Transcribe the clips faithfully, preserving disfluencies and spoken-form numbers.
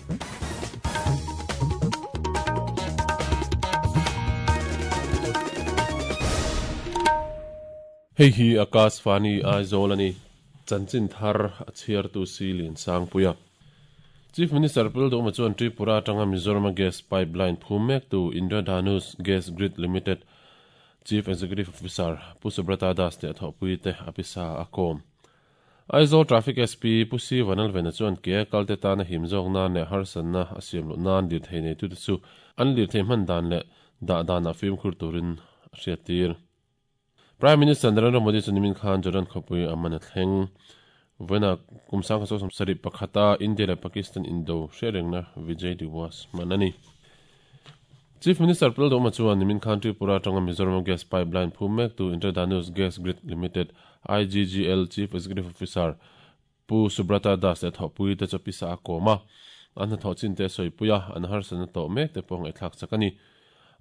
Hei hi Akashvani Aizawl ani chanchin thar a chhiar tu silin sangpuia Chief Minister Pul chuan Tripura atanga Mizoram Gas Pipeline phum mek tu Indradhanush Gas Grid Limited Chief Executive Officer Pu Subrata Das te thawpui te apisa akom Aizawl Traffic S P Pu C Vanalvena chuan ke kalte tana himzawk nan leh harsatna a siam loh nan lir thei nei tu te chu an lir thei hman dan leh dah dan a fimkhur turin a hriat tir. Prime Minister Narendra Modi chu nimin khan Jordan khawpui a man a thleng vena kumsang kha som sarih pakhata India leh Pakistan Indo hriatrengna Vijay Diwas man ani. Chief Minister Pul Doma chuan nimin khan Tripura atanga Mizoram Gas Pipeline phum mek tu Indradhanush Gas Grid Limited I G G L Chief Executive Officer Pu Subrata Das te thawpui te chu pisa a kawm a an hnathawh chin te sawipuia an harsatna tawh mek te pawh ngaihthlak chak ani.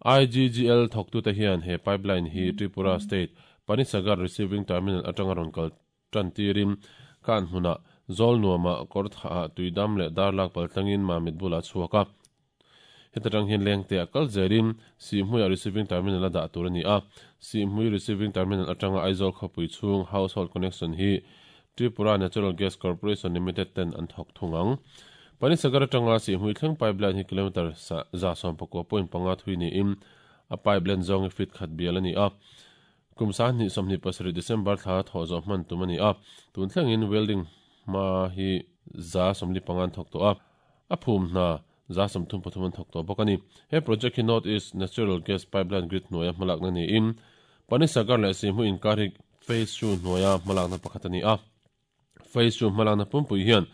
I G G L thawktu te hian he pipeline hi Tripura State Panisagar Receiving Terminal atanga rawn kal tan tirin kan hmuna zawl nuama kawr tha tuidam leh darlak paltlangin mamit bula chhuak a hetatang hian lengte a kal zerin Sihhmui Receiving Terminal a dah tur ani a. Sihhmui Receiving Terminal atanga Aizawl khawpui chhung household connection hi Tripura Natural Gas Corporation Limited ten an thawk thung ang. Panisagar atanga Sihhmui thleng pipeline hi kilometer za sawm pakua point panga thui niin a pipeline zawng hi feet khat bial ani a. Kum sahnih sawmhnih pasarih December thla thawh zawh hman tum ani a. Tun thlengin welding hma hi za sawmli pangan thawk tawh a. A phum hna za sawmthum pathum an thawk tawh bawk ani. He project hi North East Natural Gas Pipeline Grid hnuaia hmalakna niin Panisagar leh Sihhmui inkar hi phase two hnuaia hmalakna pakhat ani a. Phase two hmalakna pumpui hian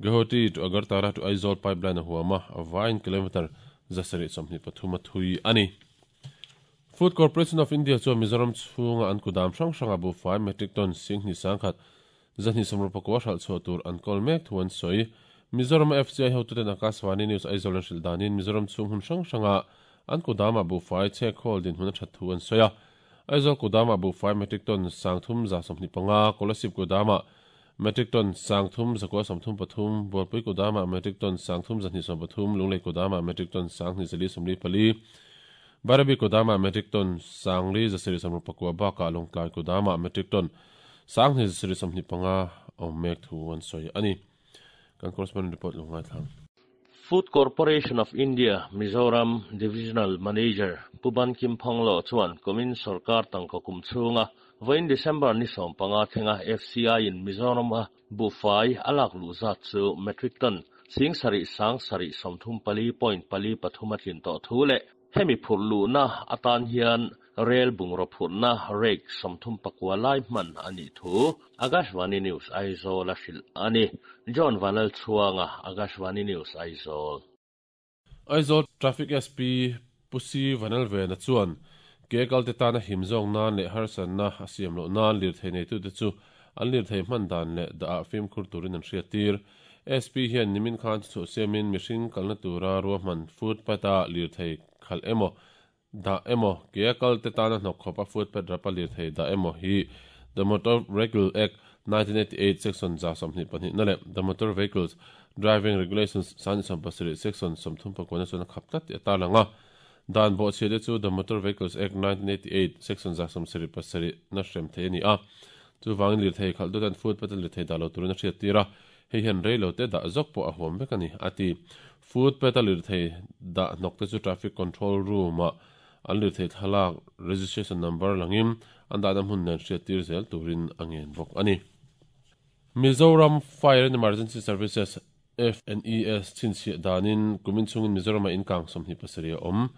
Guwahati to Agartala to Aizawl pipeline a huama a vain kilometer zasarih sawmhnih pathum a thui ani. Food Corporation of India chuan Mizoram chhunga an kudam hrang hranga bu fai metric ton singhni sangkhat zahnih sawmruk pakua hralh chhuah tur an kawl mek thu an sawi. Mizoram F C I hotuten Akashvani News Aizawl an hrilh danin Mizoram chhung hun hrang hranga an kudama bu fai chhek khawl din hun a that thu an sawi a. Aizawl kudama bu fai metric ton sangthum za sawmhnih panga, Kolasib kudama metric ton sangthum zakua sawmthum pathum, Bualpui kudama metric ton sangthum zahnih sawm pathum, Lunglei kudama metric ton sanghnih zali sawmli pali, Barabi kudama metric ton sangli zasarih sawmruk pakua bakah Lawngtlai kudama metric ton sanghnih zasarih sawmhnih panga awm mek thu an sawi ani. Kan correspondent report lungai thlang. Food Corporation of India Mizoram Divisional Manager Puban Kim Phonglo chuan kumin sarkar tangka kum chhunga vawiin December ni sawm panga thlenga F C I in Mizoram a buhfai alak luh zat chu metric ton sing sarih sang sarih sawmthum pali point pali pathum a tlin tawh thu leh hemi phurh luhna atan hian rail bungraw phurhna rake sawmthum pakua lai hman ani thu Akashvani News Aizawl a hrilh ani. John Vanal Chhuanga Akashvani News Aizawl. Aizawl Traffic S P Pu C Vanalvena chuan ke kalte tana himzawk nan leh harsatna a siam loh nan lir thei nei tu te chu an lir thei hman dan leh dah fimkhur turin an hriat tir. S P hian nimin khan chu siamin mihring kalna tura ruahman footpath a lir thei khal emaw da emaw ke kalte tana hnawk khawp a footpath rapa lir thei da emaw hi The Motor Vehicle Act nineteen eighty-eight section za sawmhnih pahnih na leh The Motor Vehicles Driving Regulations sangni sawm pasarih section sawmthum pakuana chuan a khap tlat tih a tarlang a. Dan bawh chhia te chu The Motor Vehicles Act nineteen eighty-eight section za sawmsarih pasarih na hrem thei ani a. Chuvangin lir thei khalh dutan footpath lir thei dah lo turin a hriat tir a. Hei hian rei lo te dah zawk pawh a huam vek ani a ti. Footpath a lir thei dah hnawk te chu traffic control room a an lir thei thlalak registration number langin an dahna hmun nen hriat tir zel turin a ngen bawk ani. Mizoram Fire and Emergency Services F N E S chhinchhiah danin kumin chhungin Mizoram a inkang sawmhnih pasarih a awm.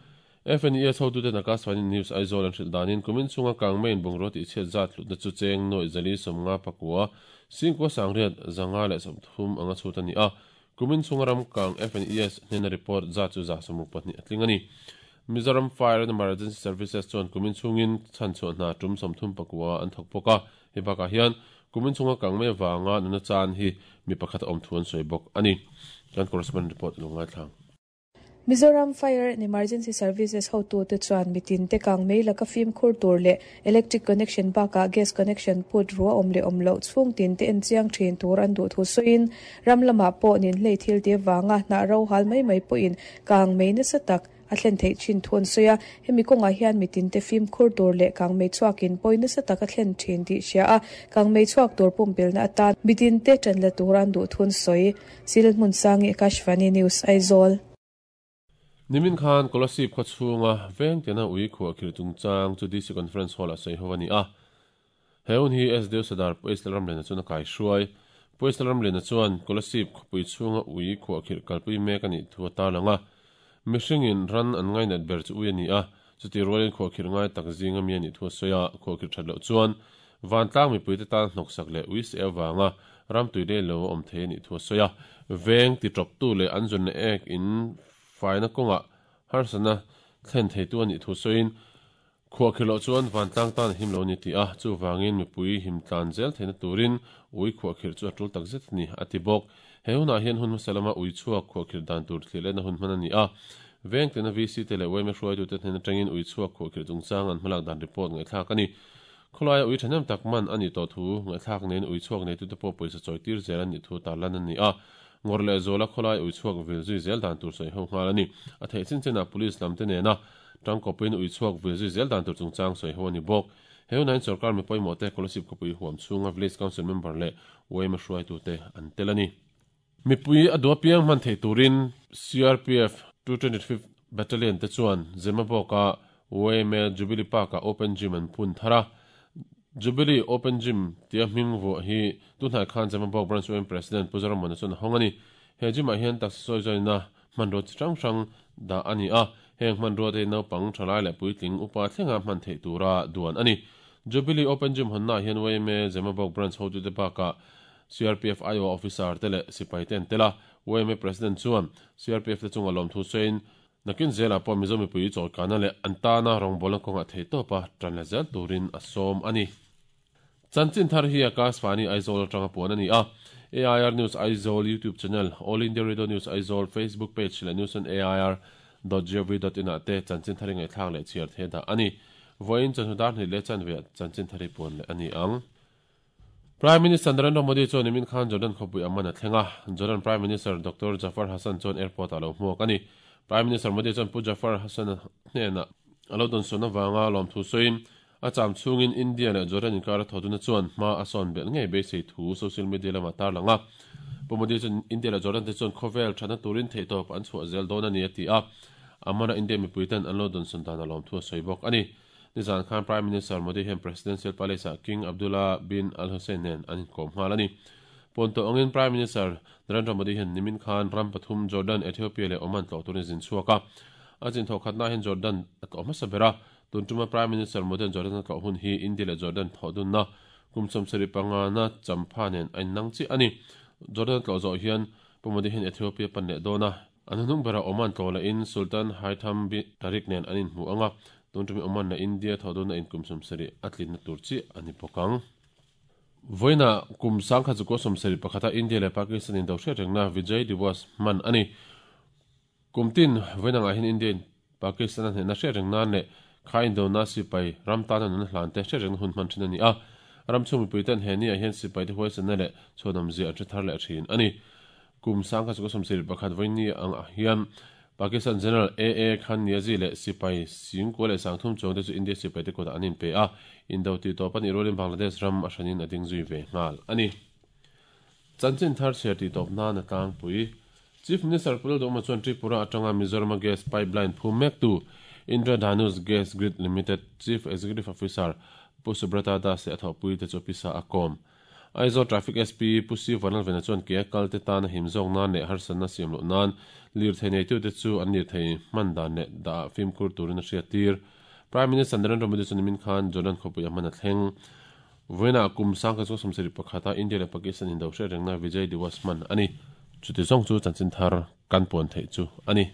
F N E S hotuten Akashvani News Aizawl an hrilh danin kumin chhunga kang main bungraw tih chhiat zat hlutna chu cheng nawi zali sawmnga pakua singkua sangriat zanga leh sawmthum anga chhut ani a. Kumin chhunga ram kang F N E S hnena report zat chu za sawmruk pahnih a tling ani. Mizoram Fire and Emergency Services chuan kumin chhungin chhan chhuah hna tum sawmthum pakua an thawk bawk a. Hei bakah hian kumin chhunga kang mai wanga nuna chan hi mi pakhat awm thu an sawi bawk ani. Kan correspondent report lungai thlang. Mizoram Fire and Emergency Services hotu te chuan mitin te kang mei laka fim khur tur le electric connection baka gas connection put ruwa om le om lo chung tin te en chiang thin tur an du thu soin ramlama po nin hlei thil te wanga na ro hal mai mai po in kang mei na satak a thlen thei chin thun soya hemi konga hian mitin te fim khur tur le kang mei chuakin poina sa taka thlen thin ti sia a kang mei chuak tur pumpel na atan mitin te tran la turan du thun soi Silmun Sangi Akashvani News Aizawl. Nimin khan Kolasib khaw chhunga veng tena ui khuah khir chungchang chu D C Conference Hall a sawi ho ani a heun hi S D O Sadar Poisal Ramlena chuan a kai hruai Poisal Ramlena chuan Kolasib khawpui chhunga ui khuah khir kalpui mek ani thu a tarlanga mihringin ran an ngai nat ber chu ui ani a chuti rualin khuah khir ngai tak zinga mi ani thu a sawi a khuah khir that loh chuan vantlang mipui te tan hnawk sak leh ui se awanga ram tui le lo awm thei ani thu a sawi a veng ti tawp tu leh an zun ek in faina konga harsana thlen thei tu ani thu soin khuah khir loh chuan vantlang tan him lo ni ti a chu wangin mipui him tlan zel theina turin ui khuah khir chu a tul tak zet ni ati bawk he huna hian hun hmasalama ui chhuak khuah khir dan tur thli lehna hun hman ani a veng tena V C te leh Y M A hruai tu te hnen atangin ui chhuak khuah khir chungchang an hmalak dan report ngaihthlak ani khawlaia ui thahnem tak man ani tawh thu ngaihthlak nen ui chhuak nei tu te pawh pawisa chawi tir zel ani thu tarlan ani a ngor le zola kholai ui chhuak vil zui zel dan tur sawi ho nghal ani a thei chin chena police lam te nena tangkopin ui chhuak vil zui zel dan tur chungchang sawi ho ani bawk heu nain sarkar mi pawimawh te Kolasib khawpui huam chhunga village council member leh Y M A hruai tu te an tel ani mipui a dua piang hman thei turin C R P F two twenty-fifth Battalion te chuan Zemabawka Y M A Jubilee Park a open gym an phun thara Jubilee Open Gym tia hming vuah hi tunhnai khan Zemabawk Branch Y M A President Pu Zoramawna chuan a hawng ani he gym ah hian taxi sawi zawina hmanrua chi hrang hrang dah ani a heng hmanrua te naupang thalai leh puitling upa thlenga hman theih tura duan ani Jubilee Open Gym hawnna hian Y M A Zemabawk Branch hotu te bakah C R P F I O officer te leh sipai te an tel a Y M A President chuan C R P F te chunga lawm thu sawiin nakin zela pawh Mizo mipui chawlkana leh an tana rawngbawlna kawnga thei tawpa tan la zel turin a sawm ani Chanchin thar hi Akashvani Aizawl atanga puan ani a A I R News Aizawl YouTube channel All India Radio News Aizawl Facebook page leh news on A I R dot gov dot in ah te chanchin thari ngaihthlak leh chhiar the dah ani voin chanhudar hnih leh chanve chanchin thari puan leh ani ang Prime Minister Narendra Modi chuan nimin khan Jordan khawpui aman a thlenga Jordan Prime Minister Doctor Jafar Hassan chuan airport a lo hmuak ani Prime Minister Modi chuan Pu Jafar Hassan hnena alo dawn sawn awanga lawm thu sawiin a cham chhungin India leh Jordan inkar a thawduna chuan hma a sawn belh ngei beisei thu social media lama tarlanga Pu Modi chuan India leh Jordan te chuan khawvel thana turin theihtawp an chhuah zel dawn ani a ti a amana India mipui ten an lo dawn sawn dan a lawm thu a sawi bawk ani nizan khan Prime Minister Modi hian Presidential Palace ah King Abdullah bin Al Hussein nen an inkawm nghal ani Ponto angin Prime Minister Narendra Modi hian nimin khan ram pathum Jordan Ethiopia leh Oman tlawh turin zin chhuak a a zin thawh khatna hian Jordan a tlawh hmasa bera tuntuma Prime Minister Modi Jordan a tlawh hun hi India leh Jordan thawh dunna kum sawmsarih panga na champha nen a innang chi ani Jordan tlawh zawh hian Pu Modi hian Ethiopia pan leh dawn a an hnung bera Oman tlawh leh in Sultan Haitham bin Tariq nen an inhmu anga tuntumi Oman na India thawh dunna in kum sawmsarih a tlinna tur chi ani bawk ang Voina kum sangkha chu ko sawmsarih pakhata India leh Pakistan in do hriat rengna Vijay Diwas man ani kumtin voina nga hin India Pakistan an hna hriat reng nan leh kha Indo na sipai ram tan an hlan te hriat reng hun hman thin ani a ram chu mipui ten he ni a hian sipai te huaisan na leh chhuanam zia a thar leh thin ani kum sangkha chu ko sawmsarih pakhat voini ang a hian Pakistan General A A Khan Niazi leh sipai singko leh sangthum chawng te chu India sipai te kawtah an inpe a Indo ti tawp ani rolin Bangladesh ram a hranin a ding zui ve nghal ani chanchin thar chhiar ti tawp nan a tlangpui Chief Minister Pu Lalduhoma chuan Tripura atanga Mizoram gas pipeline phum mek tu Indra Dhanus Gas Grid Limited Chief Executive Officer Pu Subrata Das leh a thawhpui te chu pisa a kawm Aizawl Traffic S P Pu Si Vanlalvena chuan ke kal te tan a him zawk nan leh harsatna siam loh nan lir thei nei tu te chu an lir thei hman dan leh dah fimkhur turin a hriat tir Prime Minister Narendra Modi chuan nimin khan Jordan khawpui a hman a thleng voina kum sangkha chu sawmsarih pakhata India leh Pakistan in do hriat rengna Vijay Diwas man ani chuti zawng chu chanchin thar kan puan theih chu ani.